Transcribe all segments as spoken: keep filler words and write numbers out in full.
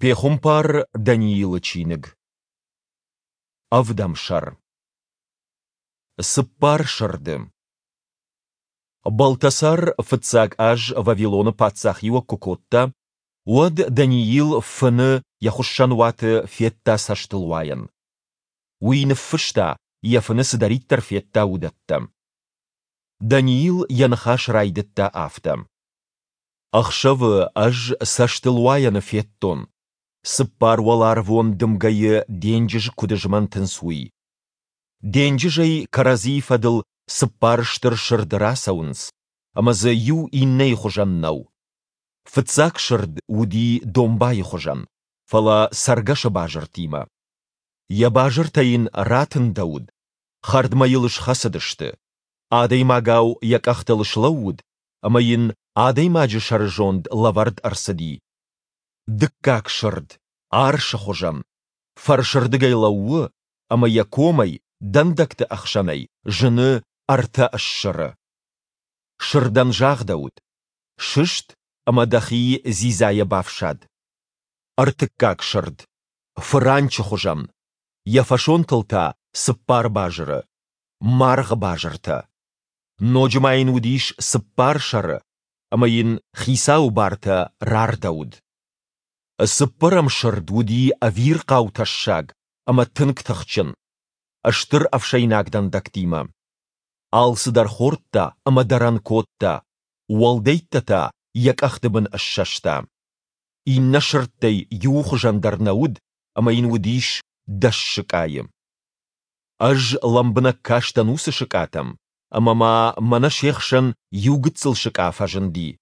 Пехуымпар Даниилы чиныг. Ӕвдӕм сӕр. Цыппар сырды. Балтасар фыццаг аз Вавилоны паддзахиуӕг куы кодта, уӕд Даниил фыны йӕ хуыссӕнуаты федта цӕстылуайӕн. Уый ныффыста, йӕ фыны цыдӕриддӕр федта, уыдӕттӕ. Даниил йӕ ныхас райдыдта афтӕ: Ӕхсӕвы ӕз цӕстылуайӕны федтон, цыппар уӕларвон дымгӕйы денджыз куыд змӕнтынц, уый. Денджызӕй кӕрӕдзийы фӕдыл цыппар стыр сырды рацӕуынц, ӕмӕ дзы иу иннӕйы хуызӕн нӕу. Фыццаг сырд уыди домбайы хуызӕн, фӕлӕ цӕргӕсы базыртимӕ. Йӕ базыртӕ йын ратындӕуыд, хӕрдмӕ йыл схӕцыдысты. Адӕймагау йӕ къӕхтыл слӕууыд, ӕмӕ йын адӕймаджы сӕрызонд лӕвӕрд ӕрцыди. Дыккаг сырд, арсы хуызӕн, фӕрсырдыгӕй лӕууы, ӕмӕ йӕ комӕй, дӕндӕгты ӕхсӕнӕй, зыны ӕртӕ ссыры. Сырдӕн загъдӕуыд: «Сыст ӕмӕ дӕхи дзидзайӕ бафсад». Ӕртыккаг сырд, фыранчы хуызӕн, йӕ фӕсонтыл та цыппар базыры, маргъы базыртӕ. Ноджы ма йын уыдис цыппар сӕры, ӕмӕ йын хицауы бартӕ рардӕуыд. Цыппӕрӕм сырд уыди ӕвирхъау тӕссаг ӕмӕ тынг тыхджын, стыр ӕфсӕйнаг дӕндӕгтимӕ. Алцыдӕр хордта ӕмӕ дӕрӕн кодта, уӕлдӕйттӕ та йӕ къӕхты бын ссӕста. Иннӕ сырдтӕй иуы хуызӕн дӕр нӕ уыд ӕмӕ йын уыдис дӕс сыкъайы. Ӕз лӕмбынӕг кастӕн уыцы сыкъатӕм, ӕмӕ ма мӕнӕ се хсӕн иу гыццыл сыкъа фӕзынди.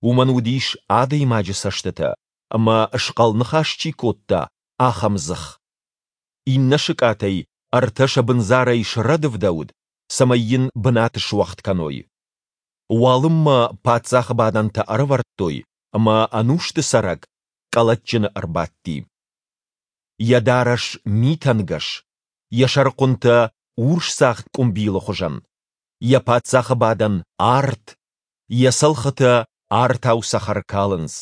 Уымӕн уыдис адӕймаджы цӕстытӕ ӕмӕ, схъӕл ныхас чи кодта, ахӕм дзых. Иннӕ сыкъатӕй ӕртӕ сӕ бындзарӕй срӕдывдӕуыд, цӕмӕй йын бынат суӕгъд кӕной. Уалынмӕ паддзахы бадӕнтӕ ӕрӕвӕрдтой, ӕмӕ ӕнусты цӕрӕг къӕлӕтджыны ӕрбадти. Йӕ дарӕс митӕнгӕс, йӕ сӕрыхъуынтӕ урсдзагъд къуымбилы хуызӕн, йӕ паддзахы бадӕн арт, йӕ цӕлхытӕ артау цӕхӕр калынц.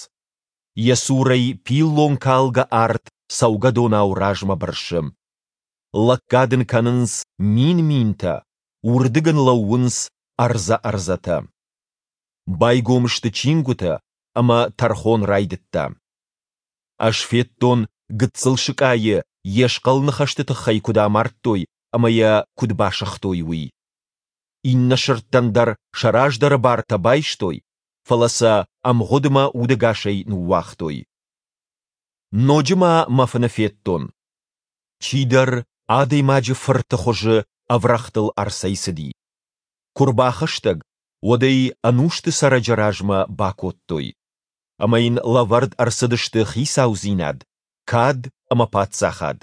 Йӕ цурӕй пиллонкалгӕ арт цӕугӕдонау размӕ бырсы. Лӕггад ын кӕнынц мин-минтӕ, уырдыг ын лӕууынц ӕрдзӕ-ӕрдзӕтӕ. Байгом сты чингуытӕ, ӕмӕ тӕрхон райдыдта. Ӕз федтон, гыццыл сыкъайы йе схъӕл ныхӕсты тыххӕй куыд амардтой ӕмӕ йӕ куыд басыгътой, уый. Иннӕ сырдтӕн дӕр сӕ раздӕры бартӕ байстой, фӕлӕ сӕ ӕмгъуыдмӕ удӕгасӕй ныууагътой. Ноджы ма мӕ фыны федтон, чидӕр адӕймаджы фырты хуызы ӕврӕгътыл ӕрцӕйцыди. Куы рбахӕстӕг, уӕд ӕй ӕнусты цӕрӕджы размӕ бакодтой. Ӕмӕ йын лӕвӕрд ӕрцыдысты хицаудзинад, кад ӕмӕ паддзахад.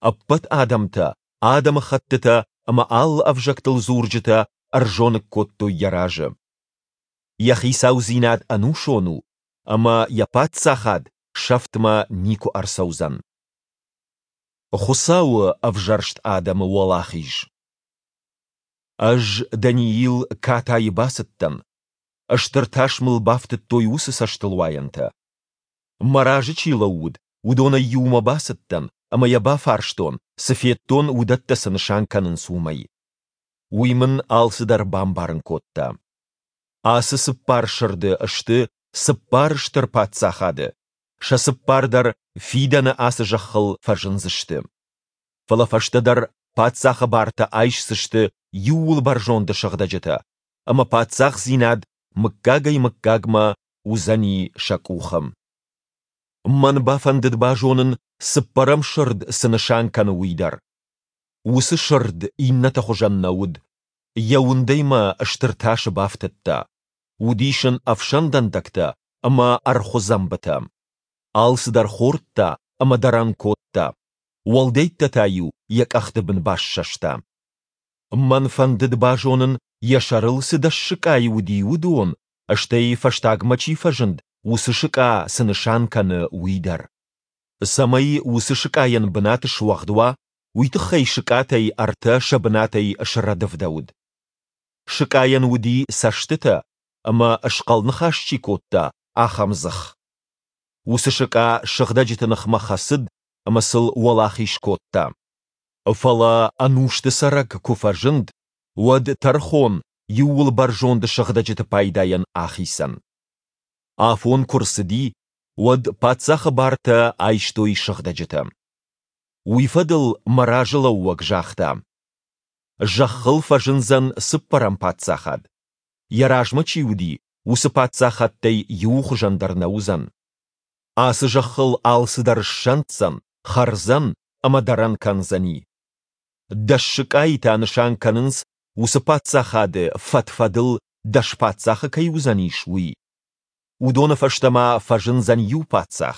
Ӕппӕт адӕмтӕ, адӕмыхӕттытӕ ӕмӕ алы ӕвзӕгтыл дзурджытӕ ӕрзоныг кодтой йӕ разы. Йӕ хицаудзинад ӕнусон у, ӕмӕ йӕ паддзахад сӕфтмӕ никуы ӕрцӕудзӕн. Хуыцауы ӕвзӕрст адӕмы уӕлахиз. Ӕз, Даниил, катайы бацыдтӕн. Стыр тас мыл бафтыдтой уыцы цӕстылуайӕнтӕ. Мӕ разы чи лӕууыд, уыдонӕй иумӕ бацыдтӕн ӕмӕ йӕ бафарстон, цы федтон, уыдӕттӕ цы нысан кӕнынц, уымӕй. Уый мын алцыдӕр бамбарын кодта. Ацы цыппар сырды сты цыппар стыр паддзахады, сӕ цыппар дӕр фидӕны ацы зӕххыл фӕзындзысты. Фӕлӕ фӕстӕдӕр паддзахы бартӕ айсдзысты Иууылбӕрзонды сыгъдӕджытӕ, ӕмӕ паддзахдзинад мыггагӕй-мыггагмӕ уыдзӕни сӕ къухы. Мӕн бафӕндыд базонын, цыппӕрӕм сырд цы нысан кӕны, уый дӕр. Уыцы сырд иннӕты хуызӕн нӕ уыд. Йӕ уындӕй мӕ стыр тасы бафтыдта. Уыдис ын ӕфсӕн дӕндӕгтӕ ӕмӕ ӕрхуы дзӕмбытӕ. Алцыдӕр хордта ӕмӕ дӕрӕн кодта, уӕлдӕйттӕ та-иу йӕ къӕхты бын бассӕста. Мӕн фӕндыд базонын, йӕ сӕрыл цы дӕс сыкъайы уыди, уыдон, стӕй фӕстагмӕ чи фӕзынд, уыцы сыкъа цы нысан кӕны, уый дӕр. Цӕмӕй уыцы сыкъайӕн бынат суӕгъд уа, уый тыххӕй сыкъатӕй ӕртӕ сӕ бынатӕй срӕдывдӕуыд. Сыкъайӕн уыди цӕстытӕ, ӕмӕ схъӕл ныхас чи кодта, ахӕм дзых. Уыцы сыкъа сыгъдӕджыты ныхмӕ хӕцыд ӕмӕ сыл уӕлахиз кодта. Фӕлӕ Ӕнусты Цӕрӕг куы фӕзынд, уӕд тӕрхон Иууылбӕрзонды сыгъдӕджыты пайдайӕн ахицӕн. Афон куы рцыди, уӕд паддзахы бартӕ айстой сыгъдӕджытӕ. Уый фӕдыл мӕ разылӕууӕг загъта: Зӕххыл фӕзындзӕн цыппӕрӕм паддзахад. Йӕ размӕ чи уыди, уыцы паддзахӕдтӕй иуы хуызӕн дӕр нӕ уыдзӕн. Ацы зӕххыл алцыдӕр ссӕнддзӕн, хӕрдзӕн ӕмӕ дӕрӕн кӕндзӕни. Дӕс сыкъайы та нысан кӕнынц, уыцы паддзахады фӕд-фӕдыл дӕс паддзахы кӕй уыдзӕнис, уый. Уыдоны фӕстӕ ма фӕзындзӕн иу паддзах.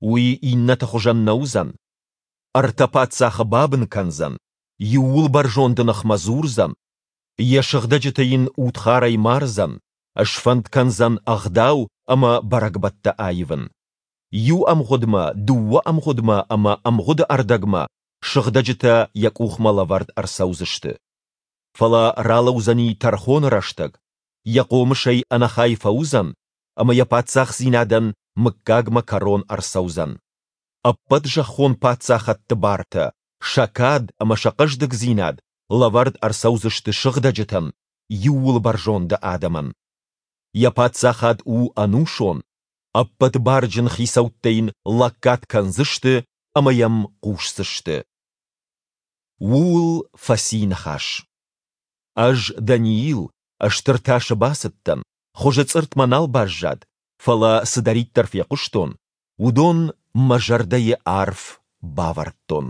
Уый иннӕты хуызӕн нӕ уыдзӕн. Ӕртӕ паддзахы бабын кӕндзӕн, Иууылбӕрзонды ныхмӕ дзурдзӕн, йӕ сыгъдӕджыты йын удхарӕй мардзӕн, сфӕнд кӕндзӕн ӕгъдау ӕмӕ бӕрӕгбӕттӕ аивын. Иу ӕмгъуыдмӕ, дыууӕ ӕмгъуыдмӕ ӕмӕ ӕмгъуыды ӕрдӕгмӕ сыгъдӕджытӕ йӕ къухмӕ лӕвӕрд ӕрцӕудзысты. Фӕлӕ ралӕудзӕни тӕрхоны рӕстӕг, йӕ хъомысӕй ӕнӕхай фӕуыдзӕн, ӕмӕ йӕ паддзахдзинадӕн мыггагмӕ кӕрон ӕрцӕудзӕн. Ӕппӕт зӕххон паддзахӕдты бартӕ, сӕ кад ӕмӕ сӕ хъӕздыгдзинад лӕвӕрд ӕрцӕудзысты сыгъдӕджытӕн, Иууылбӕрзонды адӕмӕн. Йӕ паддзахад у ӕнусон, ӕппӕт барджын хицӕуттӕ йын лӕггад кӕндзысты ӕмӕ йӕм хъусдзысты. Ууыл фӕци ныхас. Ӕз, Даниил, стыр тасы бацыдтӕн, хуызы цъыртт мӕ нал баззад, фӕлӕ цыдӕриддӕр фехъуыстон, уыдон мӕ зӕрдӕйы арф бавӕрдтон.